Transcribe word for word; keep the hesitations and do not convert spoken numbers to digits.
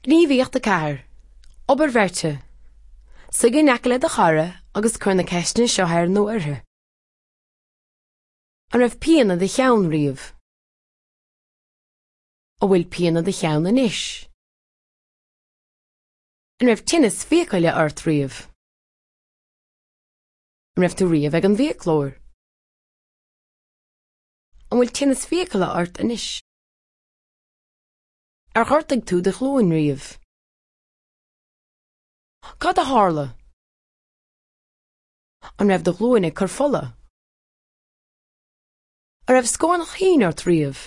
Gníomhaíocht a ceathair. Obair bheirte. Suigh in aice le do chara agus cuir na ceisteanna seo air nó uirthi. An raibh pian i do cheann riamh? An bhfuil pian i do cheann anois? An raibh tinneas fiacaile ort riamh? An raibh tú riamh ag an bhfiaclóir? An bhfuil tinneas fiacaile ort anois? Ar ghortaigh tú do ghlúin riamh? Cad a tharla? An raibh do ghlúin ag cur fola? An raibh scornach thinn ort riamh?